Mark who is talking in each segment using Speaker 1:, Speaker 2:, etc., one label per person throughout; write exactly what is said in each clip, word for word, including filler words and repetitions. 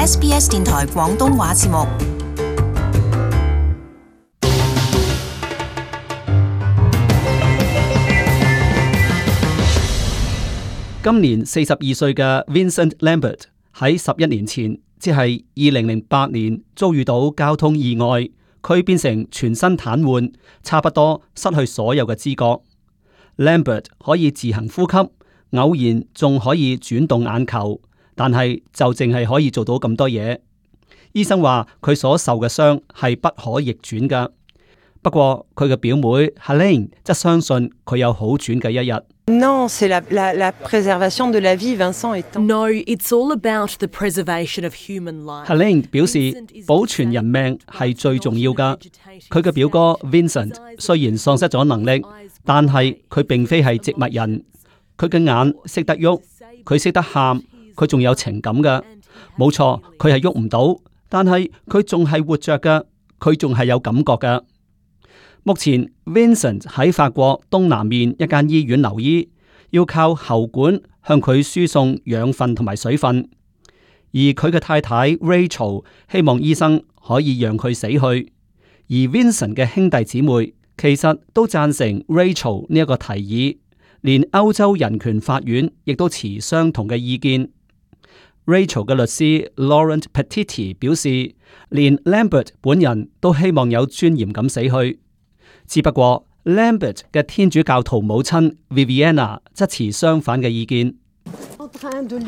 Speaker 1: S B S 電台廣東話節目。
Speaker 2: 今年四十二歲嘅 Vincent Lambert 喺十一年前，即係二零零八年遭遇到交通意外，佢變成全身癱瘓，差不多失去所有嘅知覺。Lambert 可以自行呼吸，偶然仲可以轉動眼球，但係就淨係可以做到咁多嘢。醫生話佢所受嘅傷係不可逆轉㗎。不過佢嘅表妹 Helene 則相信佢有好轉嘅一日。
Speaker 3: Non, c'est la, la, la préservation de la vie, Vincent étant...
Speaker 4: No, it's all about the preservation of human life.
Speaker 2: Helene 表示保存人命係最重要㗎。佢嘅表哥 Vincent 雖然喪失咗能力，但係佢並非係植物人。佢嘅眼識得喐，佢識得喊，佢仲有情感㗎。冇錯，佢係喐唔到，但係佢仲係活着㗎，佢仲係有感覺㗎。目前 Vincent 喺法國東南面一間醫院留醫，要靠喉管向佢輸送養分同埋水分，而佢嘅太太 Rachel 希望醫生可以讓佢死去，而 Vincent 嘅兄弟姊妹其實都贊成 Rachel 呢一個提議，連歐洲人權法院亦都持相同嘅意見。Rachel 嘅律師 Laurent Petiti 表示，連 Lambert 本人都希望有尊嚴咁死去。只不過 Lambert 嘅天主教徒母親 Viviana 則持相反嘅意見。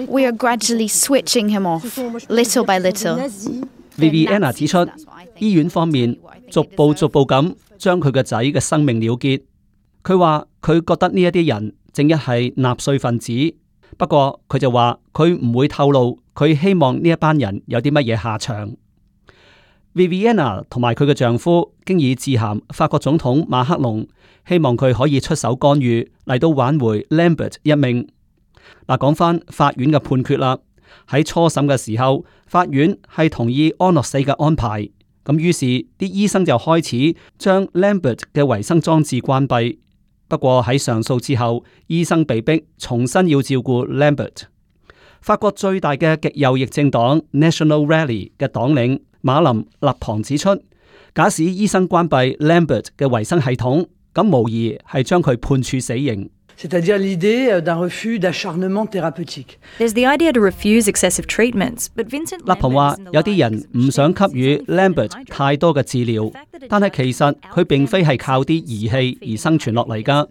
Speaker 5: We are gradually switching him off, little by little.
Speaker 2: Viviana 指出，醫院方面逐步逐步咁將佢個仔嘅生命了結。佢話佢覺得呢一啲人正一係納粹分子，不過佢就話佢唔會透露佢希望呢一班人有啲乜嘢下場。Viviana 同埋佢嘅丈夫經已致函法國總統馬克龍，希望佢可以出手干預嚟到挽回 Lambert 一命。嗱，講翻法院嘅判決啦。喺初審嘅時候，法院係同意安樂死嘅安排，咁於是啲醫生就開始將 Lambert 嘅維生裝置關閉。不過喺上訴之後，醫生被迫重新要照顧 Lambert。法國最大嘅極右翼政黨 National Rally 嘅黨領馬林勒龐指出，假使醫生關閉 Lambert 嘅維生系統，咁無疑係將佢判處死刑。
Speaker 3: C'est-à-dire l'idée d'un refus d'acharnement thérapeutique.
Speaker 6: There's the idea to refuse excessive treatments, but Vincent
Speaker 2: 勒龐話有啲人唔想給予 Lambert 太多嘅治療，但係其實佢並非係靠啲儀器而生存落嚟㗎。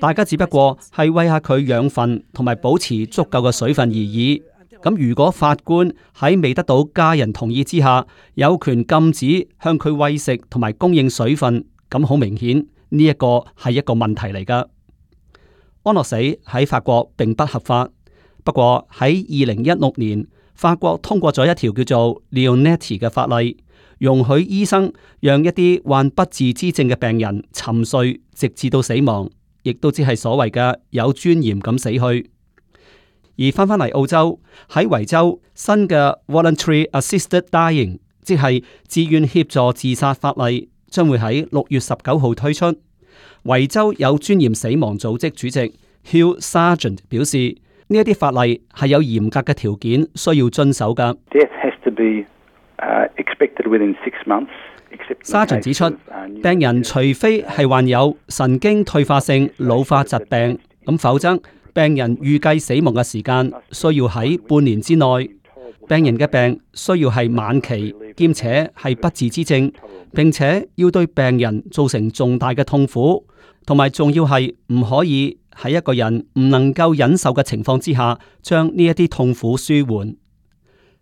Speaker 2: 大家只不過係餵下佢養分同埋保持足夠嘅水分而已。咁如果法官喺未得到家人同意之下，有權禁止向佢餵食同埋供應水分，咁好明顯呢一個係一個問題嚟㗎。安樂死喺法國並不合法，不過喺二零一六年，法國通過咗一條叫做 Leonetti 嘅法例，容許醫生讓一啲患不治之症嘅病人沉睡直至到死亡，亦都只係所謂嘅有尊嚴咁死去。而翻返嚟澳洲，喺維州新嘅 Voluntary Assisted Dying， 即係自願協助自殺法例，將會喺六月十九號推出。維州有尊嚴死亡組織主席 Hugh Sargent 表示，呢一啲法例係有嚴格嘅條件需要遵守㗎。Sargent 指出，病人除非係患有神經退化性老化疾病，咁否則病人預計死亡嘅時間需要喺半年之內。病人嘅病需要係晚期，兼且係不治之症，並且要對病人造成重大嘅痛苦，同埋仲要係唔可以喺一個人唔能夠忍受嘅情況之下，將呢一啲痛苦舒緩。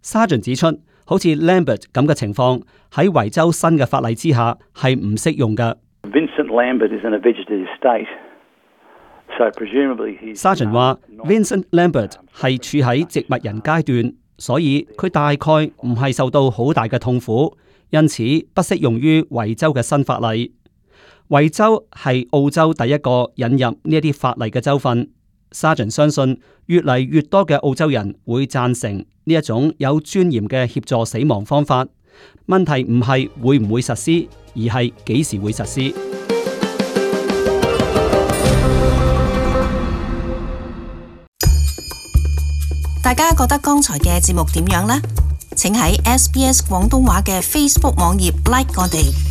Speaker 2: Sargent 指出，好似 Lambert 咁嘅情況喺維州新嘅法例之下係唔適用嘅。
Speaker 7: Vincent Lambert is in a vegetative state.
Speaker 2: Sargent 話 Vincent Lambert 係處喺植物人階段，所以佢大概唔係受到好大嘅痛苦，因此不適用於維州嘅新法例。維州係澳洲第一個引入呢一啲法例嘅州份。Sargent 相信越嚟越多嘅澳洲人會贊成呢一種有尊嚴嘅協助死亡方法。問題唔係會唔會實施，而係幾時會實施。
Speaker 1: 大家覺得剛才嘅節目點樣呢？請喺 S B S 廣東話嘅 Facebook 網頁 like 我哋。